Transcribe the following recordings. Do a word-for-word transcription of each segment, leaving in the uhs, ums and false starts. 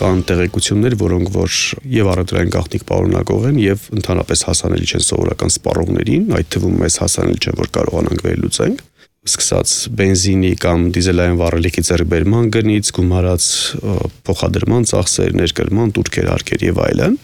կան տեղեկություններ, որոնք որ եւ առևտրային գաղտնիք պարունակող են եւ ընդհանրապես հասանելի չեն սովորական սպառողներին, այդ թվում մեզ հասանելի չէ, որ կարողանանք վերլուծենք։ Սկսած բենզինի կամ դիզելային վառելիքի ձեռքբերման գնից, գումարած փոխադրման ծախսեր, ներկրման, տուրքեր, արկեր եւ այլն։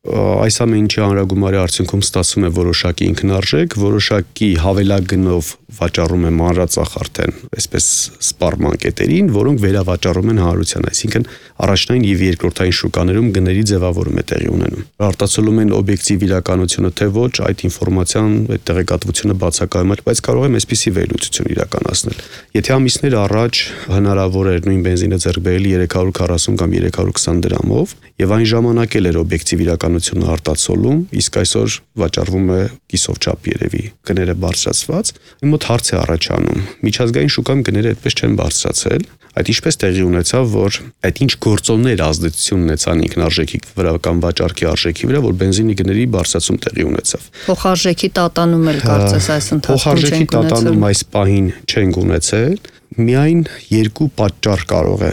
Այս ամեն ինչի հանրագումարի արդյունքում ստացվում է որոշակի ինքնարժեք, որոշակի հավելագնով վաճառում է մանրածախ արդեն, այսպես սպառման կետերին, որոնք վերավաճառում են հանրության, այսինքն առաջնային եւ երկրորդային շուկաներում գների ձևավորում է տեղի ունենում։ Արտացոլում են օբյեկտիվ իրականությունը թե ոչ, այդ ինֆորմացիան, այդ տեղեկատվությունը բացակայում է, բայց կարող եմ այսպիսի վերլուծություն իրականացնել։ Եթե ամիսներ առաջ հնարավոր էր նույն բենզինը ձեռք բերել երեք հարյուր քառասուն կամ երեք հարյուր քսան դրամով, եւ այն ժամանակ էլ էր օբյեկտիվ իրականությունը արտացոլում, իսկ այսօր վաճառվում է կիսով չափ երևի գները բարձրացված։ Իմ մոտ հարց է առաջանում. միջազգային շուկայում գները այդպես չեն բարձրացել, այդ ինչպես տեղի ունեցավ, որ այդ ինչ գործոններ ազդեցություն ունեցան ինքնարժեքի վրա կամ վաճառքի արժեքի վրա, որ բենզինի գների բարձրացում տեղի ունեցավ։ Փոխարժեքի տատանում էլ կարծես այս ընթացքում Փոխարժեքի տատանում այս պահին չենք ունեցել, միայն երկու պատճառ կարող է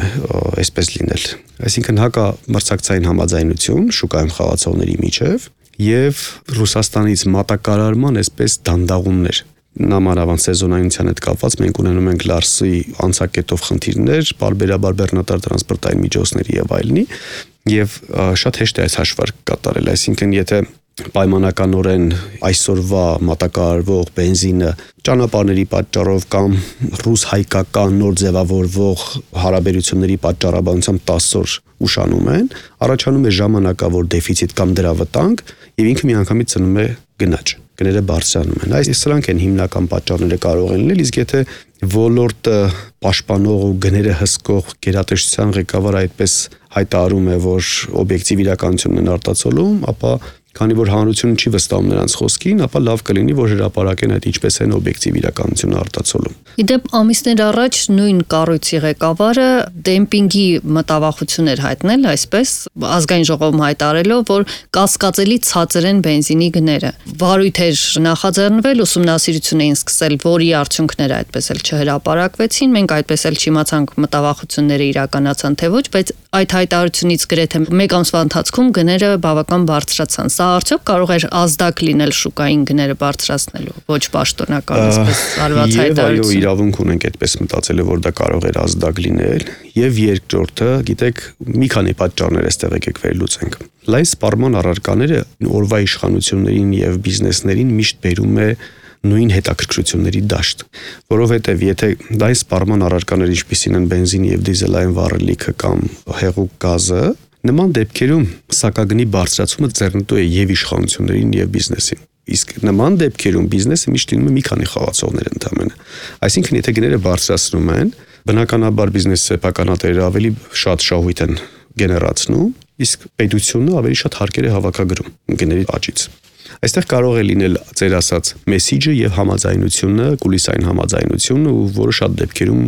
այսպես լինել։ Այսինքն հակամրցակցային համաձայնություն շուկայում խաղացողների միջև եւ Ռուսաստանից մատակարարման այսպես դանդաղումներ։ Նամանավանդ սեզոնայնության հետ կապված մենք ունենում ենք Լարսի անցակետով խնդիրներ, բարբերաբար բեռնատար տրանսպորտային միջոցների եւ այլնի, եւ շատ հեշտ է այս հաշվարկ կատարել, այսինքն եթե պայմանականորեն այսօրվա մատակարարվող բենզինը ճանապարհների պատճառով կամ ռուս-հայկական նոր ձևավորվող հարաբերությունների պատճառաբանությամբ տասը օր ուշանում են, առաջանում է ժամանակավոր դեֆիցիտ կամ դրա վտանգ եւ ինքը միանգամից ծնում է գնաճ, գները բարձրանում են։ Այս սրանք են հիմնական պատճառները կարող են լինել, իսկ եթե ոլորտը պաշտպանող ու գները հսկող գերատեսչության ղեկավարը այդպես հայտարարում է, որ օբյեկտիվ իրականությունն են արտացոլում, ապա քանի որ հանրությունը չի վստահում նրանց խոսքին, ապա լավ կլինի, որ հրապարակեն այդ ինչպես են օբյեկտիվ իրականությունը արտացոլում։ Իդեպ ամիսներ առաջ նույն կառույցի ղեկավարը դեմպինգի մտավախություն էր հայտնել, այսպես ազգային ժողովում հայտարարելով, որ կասկածելի ցածր են բենզինի գները։ Վարույթ էր նախաձեռնվել, ուսումնասիրություն էին սկսել, որի արդյունքները այդպես էլ չհրապարակվեցին, մենք այդպես էլ չիմացանք մտավախությունները իրականացան թե ոչ, բայց այդ հայտարարությունից գրեթե մեկ ամսվա ընթացքում գները բավական բարձրացան։ Սա արդյոք կարող էր ազդակ լինել շուկային գները բարձրացնելու, ոչ պաշտոնական այսպես արված հայտարարություն։ Եվ այո, իրավունք ունենք այդպես մտածել, որ դա կարող էր ազդակ լինել, եւ երկրորդը, գիտեք, մի քանի պատճառներ էստեղ եկեք վերլուծենք։ Լայն սպառման առարկաները օրվա իշխանություններին եւ բիզնեսներին միշտ բերում է նույն հետաքրքրությունների դաշտ, որովհետև եթե դա սպառման առարկաներ ինչպիսին են բենզինի եւ դիզելային վառելիքը կամ հեղուկ գազը, նման դեպքերում սակագնի բարձրացումը ձեռնտու է եւ իշխանություններին եւ բիզնեսին։ Իսկ նման դեպքերում բիզնեսը միշտ լինում է մի քանի խաղացողներ ընդամենը։ Այսինքն եթե գները բարձրացնում են, բնականաբար բիզնես սեփականատերերը ավելի շատ շահույթ են գեներացնում, իսկ պետությունը ավելի շատ հարկեր է հավաքագրում գների աճից։ Այստեղ կարող է լինել ծեր ասած մեսիջը եւ համաձայնությունը, կուլիսային համաձայնությունը, ու որը շատ դեպքերում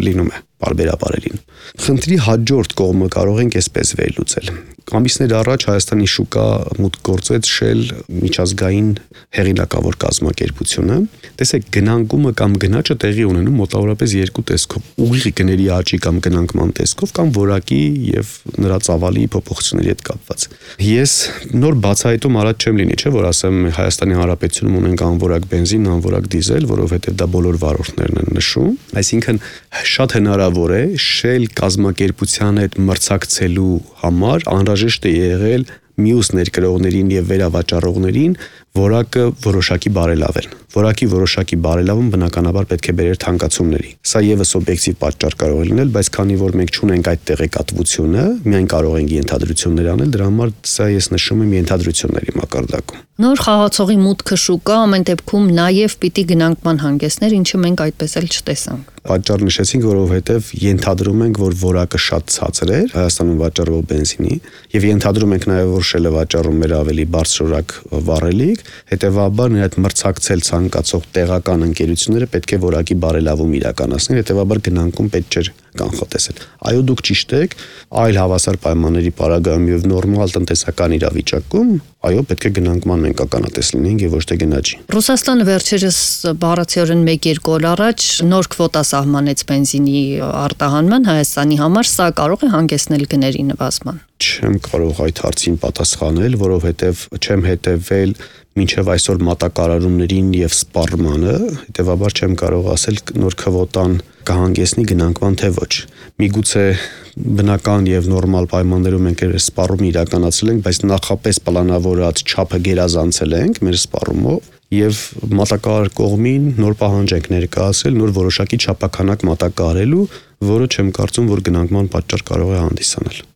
լինում է բարբերաբարերին։ Խնդրի հաջորդ կողմը կարող ենք այսպես վերլուծել։ Ամիսներ առաջ Հայաստանի շուկա մուտք գործեց Shell միջազգային հեղինակավոր կազմակերպությունը։ Տեսեք, գնանկումը կամ գնաճը տեղի ունենում մոտավորապես երկու տեսքով՝ ուղիղ գների աճի կամ գնանկման տեսքով կամ որակի եւ նրա ծավալի փոփոխությունների հետ կապված։ Ես նոր բացահայտում առաջ չեմ լինի, չէ՞ որ ասեմ Հայաստանի Հանրապետությունում ունենք անորակ բենզին, անորակ դիզել, որովհետեւ դա բոլոր վարորդներն են նշում։ Այսինքն շատ հնարավոր է Shell կազմակերպության հետ մրցակցելու համար անհրաժեշտ է եղել մյուս ներկրողներին եւ վերավաճառողներին որակը որոշակի բարելավել։ Որակի որոշակի բարելավում բնականաբար պետք է բերեր թանկացումների։ Սա եւս օբյեկտիվ պատճառ կարող է լինել, բայց քանի որ մենք չունենք այդ տեղեկատվությունը, միայն կարող ենք ենթադրություններ անել, դրա համար սա ես նշում եմ ենթադրությունների մակարդակում։ Նոր խաղացողի մուտքը շուկա ամեն դեպքում նաև պիտի գնանկման հանգեցներ, ինչը մենք այդպես էլ չտեսանք։ Պատճառ նշեցինք, որովհետև ենթադրում ենք, որ որակը շատ ցածր է Հայաստանում վաճառվող բենզինի, եւ ենթադրում ենք նաև, որ Shell-ը վաճառում էր ավելի բարձրորակ վառելիք, հետեւաբար նրա հետ մրցակցել ցանկացող տեղական ընկերությունները պետք է որակի բարելավում իրականացնեն, հետեւաբար գնանկում պետք չէր կանխատեսել։ Այո, դուք ճիշտ եք, այլ հավասար պայմանների պարագայում եւ նորմալ տնտեսական իրավիճակում, այո, պետք է գնանկման մենք ականատես լինենք եւ ոչ թե գնաճի։ Ռուսաստանը վերջերս բառացիորեն մեկ-երկու օր առաջ նոր քվոտա սահմանեց բենզինի արտահանման Հայաստանի համար, սա կարող է հանգեցնել գների նվազման։ Չեմ կարող այդ հարցին պատասխանել, որովհետև չեմ հետևել մինչև այսօր մատակարարումներին եւ սպառմանը, հետեւաբար չեմ կարող ասել նոր քվոտան կհանգեցնի գնանկման թե ոչ։ Միգուցե բնական եւ նորմալ պայմաններում մենք այս սպառումը իրականացրել ենք, բայց նախապես պլանավորած չափը գերազանցել ենք մեր սպառումով եւ մատակարար կողմին նոր պահանջ ենք ներկայացրել, նոր որոշակի չափականակ մատակարարելու, որը չեմ կարծում, որ գնանկման պատճառ կարող է հանդիսանալ։